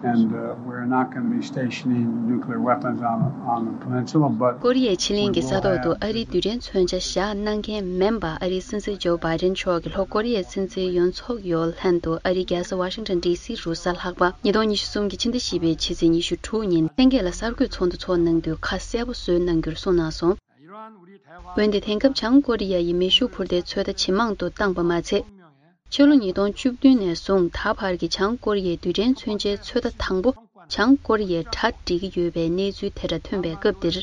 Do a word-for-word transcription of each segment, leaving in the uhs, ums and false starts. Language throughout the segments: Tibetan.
And uh, we're not going to be stationing nuclear weapons on, on the peninsula, but ཀོ་རི་ཡའི་ཕྱེད་གླིང་གི་ས་ཐོག་ཏུ་ཨ་རིའི་རྡུལ་ཕྲན་མཚོན་ཆ་བཞག་གནང་མཁན་མིན་པ། ཨ་རིའི་སྲིད་འཛིན་ཇོ་བྷའི་ཌེན་མཆོག་གིས་ལྷོ་ཀོ་རི་ཡའི་སྲིད་འཛིན་ཡོན་སུག་ཡོལ་ལྷན་དུ་ཨ་རིའི་རྒྱལ་ས་ཝ་ཤིང་ཊོན་ཌི་སི་རུ་གཟའ་ལྷག་པ་ཉིས་སྟོང་ཉི་ཤུ་གསུམ་གྱི་ཕྱི་ཟླ་བཞི་པའི་ཕྱི་ཚེས་ཉི་ཤུ་དྲུག་ཉིན་ལྷན་རྒྱས་ལ་གསར་འགོད་ཚོགས་འདུ་ཚོགས་གནང་དུས་ཁ་གསལ་པོ་བཟོས་གནང་རྒྱུར་གསུངས་གནང་སོང་། འོན་ཏེ་དེང་སྐབས་བྱང་ཀོ་རི་ཡ་ཡིས་མེ་ཤུགས་འཕུར་མདེལ་ཚོད་ལྟ་ཇེ་མང་དུ་བཏང་པ་མ་ཚད། ཕྱི་ལོ་ཉིས་སྟོང་བཅུ་བདུན་ནས་བཟུང་ད་བར་གྱི་བྱང་ཀོ་རི་ཡའི་རྡུལ་ཕྲན་མཚོན་ཆའི་ཚོད་ལྟ་དང་པོ་བྱང་ཀོ་རི་ཡས་གྲ་སྒྲིག་གི་ཡོད་པའི་གནས་ཚུལ་དེ་འདྲ་ཐོན་པའི་སྐབས་འདིར།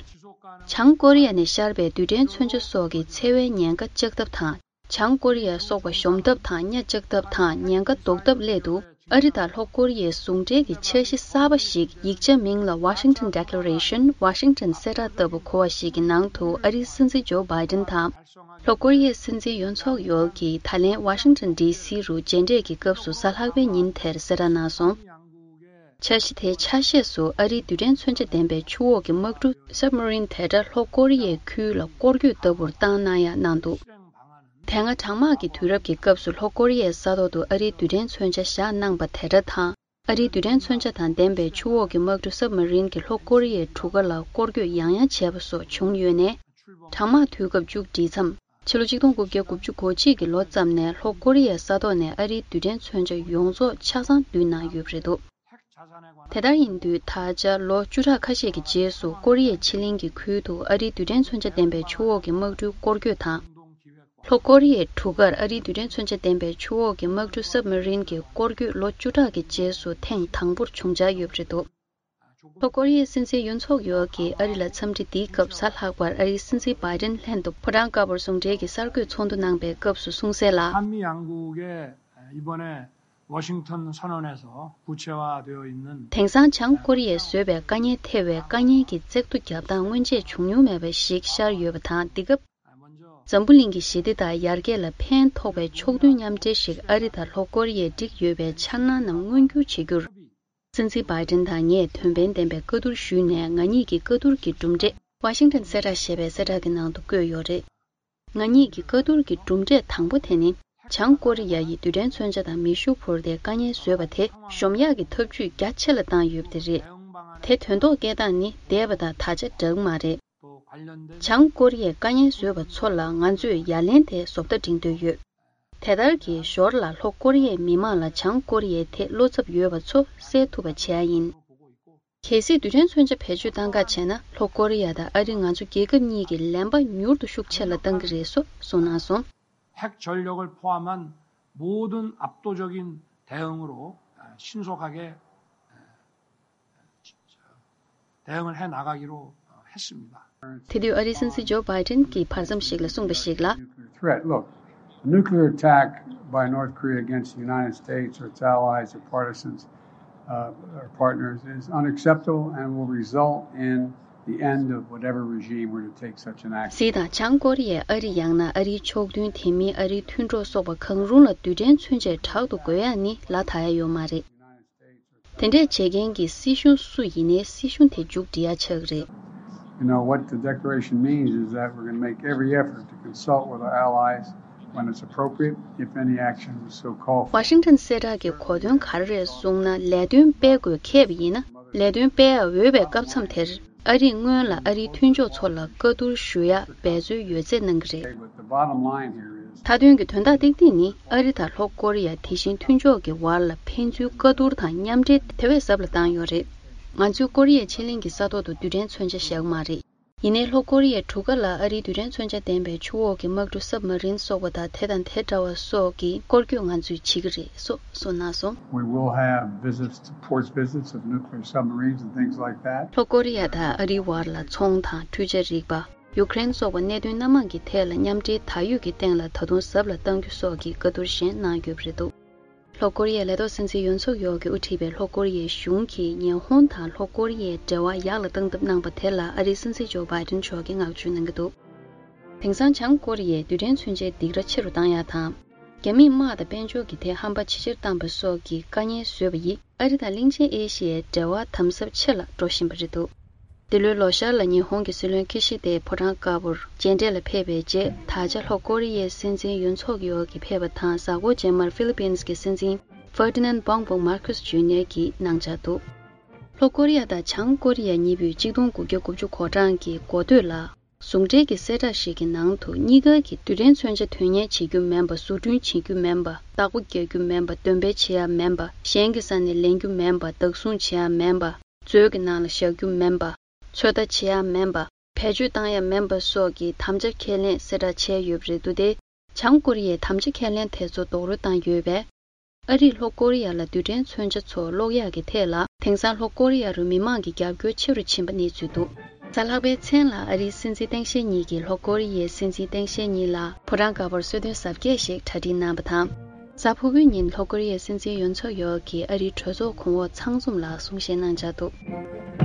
བྱང་ཀོ་རི་ཡ་ནས་ཤར་བའི་རྡུལ་ཕྲན་མཚོན་ཆ་སོགས་ཀྱི་འཚེ་བའི་ཉེན་ཁ་བཅག་ཐབས་དང་། བྱང་ཀོ་རི་ཡ་སོགས་པ་གཞོམ་ཐབས་དང་གཉའ་བཅག་ཐབས་དང་ཉེན་ཁ་བཟློག་ཐབས་སླད་དུ། ཨ་རི་དང་ལྷོ་ཀོ་རི་ཡའི་ཟུང་འབྲེལ་གྱི་འཆར་གཞི་གསར་པ་ཞིག་ཡིག་ཆ་མིང་ལ་Washington Declaration། ཝ་ཤིང་ཊོན་གསལ་བསྒྲགས་ལྟ་བུ་གོ་བ་ཞིག་གི་ནང་དུ་ཨ་རིའི་སྲིད་འཛིན་ཇོ་བྷའི་ཌེན་དང་། ལྷོ་ཀོ་རི་ཡའི་སྲིད་འཛིན་ཡོན་སུག་ཡོལ་གྱིས་ད་ལན་ཝ་ཤིང་ཊོན་ཌི་སི་རུ་མཇལ་འཕྲད་ཀྱི་སྐབས་སུ་གཟའ་ལྷག་པའི་ཉིན་དེར་གསལ་བསྒྲགས་གནང་སོང་། འཆར་གཞི་དེའི་ཆ་ཤས་སུ་ཨ་རིའི་རྡུལ་ཕྲན་མཚོན་ཆ་ལྡན་པའི་ཆུ་འོག་གི་དམག་གྲུ་Submarine དེ་འདྲ་ལྷོ་ཀོ་རི་ཡའི་ཁུལ་ལ་སྐོར་སྐྱོད་ལྟ་བུར་བཏང་གནང་ཡག་གནང་འདུག་དེ་སྔ་གྲང་དམག་གི་དུས་རབས་ཀྱི་སྐབས་སུ་ལྷོ་ཀོ་རི་ཡའི་ས་ཐོག་ཏུ་ཨ་རིའི་རྡུལ་ཕྲན་མཚོན་ཆ་བཞག་གནང་པ་དེ་འདྲ་དང་། ཨ་རིའི་རྡུལ་ཕྲན་མཚོན་ཆ་དང་ལྡན་པའི་ཆུ་འོག་གི་དམག་གྲུ་Submarine གྱིས་ལྷོ་ཀོ་རི་ཡའི་གྲུ་ཁ་ལ་སྐོར་སྐྱོད་ཡང་ཡང་བྱས་པ་སོགས་བྱུང་ཡོད་ནས། གྲང་དམག་དུས་སྐབས་མཇུག་སྒྲིལ་མཚམས། ཕྱི་ལོ་ཆིག་སྟོང་དགུ་བརྒྱ་དགུ་བཅུ་གོ་གཅིག་གི་ལོ་ཙམ་ནས་ལྷོ་ཀོ་རི་ཡའི་ས་ཐོག་ནས་ཨ་རིའི་རྡུལ་ཕྲན་མཚོན་ཆ་ཡོངས་རྫོགས་ཆ་ཚང་བསྡུས་གནང་ཡོད་པ་རེད་འདུག་དེ་ལྟར་ཡིན་དུས་ད་ཆ་ལོ་བཅུ་ཕྲག་ཁ་ཤས་ཀྱི་རྗེས་སུ་ཀོ་རི་ཡའི་ཕྱེད་གླིང་གི་ཁུལ་དུ་ཨ་རིའི་རྡུལ་ཕྲན་མཚོན་ཆ་ལྡན་པའི་ཆུ་འོག་གི་དམག་གྲུའི་སྐོར་སྐྱོད་དང་། ལྷོ་ཀོ་རི་ཡའི་གྲུ་ཁར་ཨ་རིའི་རྡུལ་ཕྲན་མཚོན་ཆ་ལྡན་པའི་ཆུ་འོག་གི་དམག་གྲུ་Submarine གྱི་སྐོར་སྐྱོད་ལོ་བཅུ་ཕྲག་གི་རྗེས་སུ་ཐེངས་དང་པོར་བྱུང་འཆར་ཡོད་པ་རེད་འདུག་ལྷོ་ཀོ་རི་ཡའི་སྲིད་འཛིན་ཡུན་སུག་ཡོལ་གྱིས་ཨ་རི་ལ་འཚམས་འདྲི་འདིའི་སྐབས་གཟའ་ལྷག་པར་ཨ་རིའི་སྲིད་འཛིན་བྷའི་ཌེན་ལྷན་དུ་ཕོ་བྲང་དཀར་པོར་ཟུང་འབྲེལ་གྱི་གསར་འགོད་ཚོགས་འདུ་གནང་པའི་སྐབས་སུ་གསུངས་གསལ་ལ། 한미 양국의 이번에 워싱턴 선언에서 구체화되어 있는 དེང་སང་བྱང་ཀོ་རི་ཡས་བཟོས་པའི་དཀའ་ཉེན་ཐེ་བའི་དཀའ་ཉེན་གྱི་བཙག་འཐུ་བརྒྱབ་སྟངས་སྔོན་ཆད་བྱུང་མྱོང་མེད་པ་ཞིག་ཤར་ཡོད་པ་དང་། འདི་སྐབས་འཛམ་བུ་གླིང་གི་ཞི་བདེ་དང་ཡར་རྒྱས་ལ་ཕན་ཐོགས་པའི་ཕྱོགས་མཐུན་མཉམ་འབྲེལ་ཞིག་ཨ་རི་དང་ལྷོ་ཀོ་རི་ཡས་བསྒྲིགས་ཡོད་པའི་འཆར་སྣང་རྣམས་མངོན་འགྱུར་བྱེད་རྒྱུར། སྲིད་འཛིན་བྷའི་ཌེན་དང་ངས་དོན་ཕན་ལྡན་པའི་བཀའ་བསྡུར་ཞུས་ནས། ང་གཉིས་ཀྱི་བཀའ་བསྡུར་གྱི་གྲུབ་འབྲས་ཝ་ཤིང་ཊོན་གསལ་བསྒྲགས་ཞེས་པའི་གསལ་བསྒྲགས་ཀྱི་ནང་དུ་བཀོད་ཡོད་རེད། ང་གཉིས་ཀྱི་བཀའ་བསྡུར་གྱི་གྲུབ་འབྲས་དང་པོ་དེ་ནི། བྱང་ཀོ་རི་ཡ་ཡིས་རྡུལ་ཕྲན་མཚོན་ཆ་དང་མེ་ཤུགས་འཕུར་མདེལ་དཀའ་ངལ་བཟོས་པ་དེ་གཞོམ་ཡག་གི་ཐབས་ཇུས་རྒྱ་ཆེ་ལ་བཏང་ཡོད་པ་དེ་རེད། དེ་དོན་ཐོག་སྐྱེལ་སྟངས་ནི་འདས་པ་དང་ད་ཆ་འདྲ་གི་མ་རེད། བྱང་ཀོ་རི་ཡས་དཀའ་ངལ་བཟོས་པ་ཚོ་ལ་ང་ཚོས་ཡ་ལན་དེ་བཟོ་ལྟ་འབྲི་འདོད་ཡོད། དེ་ལྟར་གྱི་ཞོར་ལ་ལྷོ་ཀོ་རི་ཡའི་མི་མང་ལ་བྱང་ཀོ་རི་ཡའི་ཐད་བློ་འཚབ་ཡོད་པ་ཚོ་སེལ་ཐུབ་པ་བྱེད་ཡ་ཡིན། གལ་སྲིད་རྡུལ་ཕྲན་མཚོན་ཆ་བེད་སྤྱོད་གཏང་ག་བྱས་ན། ལྷོ་ཀོ་རི་ཡ་དང་ཨ་རི་ང་ཚོ་རྒྱལ་ཁབ་གཉིས་ཀྱི་ལན་པ་མྱུར་དུ་ཤུགས་ཆེ་ལ་གཏང་གི་རེད་སོགས་གསུངས་གནང་སོང་། 핵 전력을 포함한 모든 압도적인 대응으로 신속하게 대응을 해 나가기로 했습니다. དེ་དུས་ཨ་རིའི་སྲིད་འཛིན་ཇོ་བྷའི་ཌེན་གྱིས་བར་མཚམས་ཤིག་ལ་གསུངས་པ་ཞིག་ལ། Threat. Look, a nuclear attack by North Korea against the United States or its allies or partisans uh, or partners is unacceptable and will result in the end of whatever regime were to take such an action. གཟིགས་དང་། བྱང་ཀོ་རི་ཡས་ཨ་རི་ཡང་ན་ཨ་རིའི་ཕྱོགས་མཐུན། དེ་མིན་ཨ་རིའི་མཐུན་གྲོགས་སོགས་པ་གང་རུང་ལ་རྡུལ་ཕྲན་མཚོན་ཆས་དྲག་ཏུ་བགོ་ཡག་ནི་ལ་དྭགས་ཡ་ཡོད་མ་རེད། དེ་འདྲས་བྱེད་མཁན་གྱི་སྲིད་གཞུང་སུ་ཡིན་ནའི་སྲིད་གཞུང་དེ་མཇུག་སྒྲིལ་ཡ་ཆགས་ཀྱི་རེད། You know, what the declaration means is that we're going to make every effort to consult with our allies when it's appropriate, if any action was so called for. ཝ་ཤིང་ཊོན་གསལ་བསྒྲགས་ཀྱི་གོ་དོན་ག་རེ་རེད་གསུངས་ན། ལས་དོན་སྤེལ་དགོས་འཁེལ་བ་ཡིན་ན། ལས་དོན་སྤེལ་ཡ་འོས་པའི་སྐབས་མཚམས་དེར། ཨ་རིས་སྔོན་ལ་ཨ་རིའི་མཐུན་ཕྱོགས་ཚོ་ལ་བཀའ་བསྡུར་ཞུ་ཡ་འབད་རྩོལ་ཡོད་ཚད་གནང་གི་རེད། But the bottom line here is མཐའ་དོན་གྱི་དོན་དག་ཏིག་ཏིག་ནི། ཨ་རི་དང་ལྷོ་ཀོ་རི་ཡ་དེ་བཞིན་མཐུན་ཕྱོགས་ཀྱི་བར་ལ་ཕན་ཚུན་བཀའ་བསྡུར་དང་མཉམ་འབྲེལ་དེ་བས་ཟབ་ལ་བཏང་ཡོད་རེད། ང་ཚོས་ཀོ་རི་ཡའི་ཕྱེད་གླིང་གི་ས་ཐོག་ཏུ་རྡུལ་ཕྲན་མཚོན་ཆ་བཞག་གི་མ་རེད། ཡིན་ནའི་ལྷོ་ཀོ་རི་ཡའི་གྲུ་ཁ་ལ་ཨ་རིའི་རྡུལ་ཕྲན་མཚོན་ཆ་ལྡན་པའི་ཆུ་འོག་གི་དམག་གྲུ་Submarine སོགས་པ་དང་། དེ་དང་དེ་འདྲ་བ་སོགས་ཀྱི་སྐོར་སྐྱོད་ང་ཚོས་བྱེད་ཀྱི་རེད་སོགས་གསུངས་གནང་སོང་། We will have visits, port visits of nuclear submarines and things like that. ལྷོ་ཀོ་རི་ཡ་དང་ཨ་རིའི་བར་ལ་ཚོང་དང་འཕྲུལ་ཆས་རིག་པ། ཡུ་ཀེ་རེན་སོགས་པ་གནད་དོན་སྣ་མང་གི་ཐད་ལ་མཉམ་འབྲེལ་ད་ཡོད་ཀྱི་སྟེང་ལ་ད་དུང་ཟབ་ལ་གཏང་རྒྱུ་སོགས་ཀྱི་བཀའ་བསྡུར་གཞན་གནང་ཡོད་པ་རེད་འདུག་ལྷོ་ཀོ་རི་ཡའི་ལས་ཐོག་སྲིད་འཛིན་ཡོན་སུག་ཡོལ་གྱིས་དབུ་ཁྲིད་པའི་ལྷོ་ཀོ་རི་ཡའི་གཞུང་གིས་ཉི་ཧོང་དང་ལྷོ་ཀོ་རི་ཡའི་འབྲེལ་བ་ཡག་ལ་གཏང་ཐབས་གནང་པ་དེ་ལ་ཨ་རིའི་སྲིད་འཛིན་ཇོ་བྷའི་ཌེན་མཆོག་གིས་བསྔགས་བརྗོད་གནང་གི་འདུག་དེང་སང་བྱང་ཀོ་རི་ཡས་རྡུལ་ཕྲན་མཚོན་ཆའི་སྡིགས་ར་ཆེ་རུ་བཏང་ཡ་དང་། རྒྱ་མིས་དམག་དང་དཔལ་འབྱོར་གྱི་ཐད་ཧམ་པ་ཇེ་ཆེར་བཏང་པ་སོགས་ཀྱི་དཀའ་ངལ་བཟོས་པ་ཡིས། ཨ་རི་དང་གླིང་ཆེན་ཨེ་ཤི་ཡའི་འབྲེལ་བ་དམ་ཟབ་ཆེ་ལ་འགྲོ་བཞིན་པ་རེད་འདུག་འདི་ལོའི་ལོ་ཤར་ལ་ཉི་ཧོང་གི་སྲིད་བློན་ཁི་ཤི་དེ་ཕོ་བྲང་དཀར་པོར་མཇལ་འཕྲད་ལ་ཕེབས་པའི་རྗེས། ད་ཆ་ལྷོ་ཀོ་རི་ཡའི་སྲིད་འཛིན་ཡུན་སུག་ཡོལ་གྱིས་ཕེབས་པ་དང་། གཟའ་འཁོར་རྗེས་མར་ཧྥི་ལི་པིན་གྱི་སྲིད་འཛིན་ Ferdinand Bongbong Marcos Junior གྱིས་གནང་འཆར་འདུག་ལྷོ་ཀོ་རི་ཡ་དང་བྱང་ཀོ་རི་ཡ་གཉིས་པོས་གཅིག་སྟོང་དགུ་བརྒྱ་དགུ་བཅུ་གོ་གྲངས་ཀྱི་འགོ་སྟོད་ལ། ཟུང་འབྲེལ་གྱི་གསལ་བསྒྲགས་ཤིག་གི་ནང་དུ། གཉིས་ཀ་གིས་རྡུལ་ཕྲན་མཚོན་ཆ་དོན་གཉེར་བྱེད་རྒྱུ་མིན་པ། བཟོ་སྐྲུན་བྱེད་རྒྱུ་མིན་པ། བདག་པོ་རྒྱག་རྒྱུ་མིན་པ། འདོན་སྤེལ་བྱེད་ཡ་མིན་པ། གཞན་གྱི་ས་ནས་ལེན་རྒྱུ་མིན་པ། བདག་བཟུང་བྱེད་ཡ་མིན་པ། མཛོད་ཀྱི་ནང་ལ་བཞག་རྒྱུ་མིན་པ། ཚོད་ལྟ་བྱེད་ཡ་མིན་པ། བེད་སྤྱོད་བཏང་ཡ་མིན་པ་སོགས་ཀྱི་དམ་བཅའ་ཁས་ལེན་གསལ་བསྒྲགས་བྱས་ཡོད་པ་རེད་འདུག་སྟེ། བྱང་ཀོ་རི་ཡས་དམ་བཅའ་ཁས་ལེན་དེ་ཚོ་རྡོག་རོལ་བཏང་ཡོད་པས། ཨ་རིས་ལྷོ་ཀོ་རི་ཡ་ལ་རྡུལ་ཕྲན་མཚོན་ཆ་ཚོ་སློག་ཡག་གི་ཐད་ལ། དེང་སང་ལྷོ་ཀོ་རི་ཡ་རུ་མི་མང་གི་རྒྱབ་སྐྱོར་ཆེ་རུ་ཕྱིན་པ་གནས་ཚུལ་འདུག་གཟའ་ལྷག་པའི་མཚན་ལ་ཨ་རིའི་སྲིད་འཛིན་སྟངས་དཔྱལ་གཉིས་ཀྱིས་ལྷོ་ཀོ་རི་ཡའི་སྲིད་འཛིན་ཏེང་ཞའེ་གཉིས་ལ་ཕོ་བྲང་དཀར་པོར་གསོལ་སྟོན་གཟབ་རྒྱས་ཤིག་གྲ་སྒྲིག་གནང་བ་དང་། གཟའ་ཕུར་བུའི་ཉིན་ལྷོ་ཀོ་རི་ཡའི་སྲིད་འཛིན་ཡོན་ཚོགས་ཡོག་གིས་ཨ་རིའི་གྲོས་ཚོགས་གོང་འོག་ཚང་འཛོམས་ལ་གསུང་བཤད་གནང་འཆར་འདུག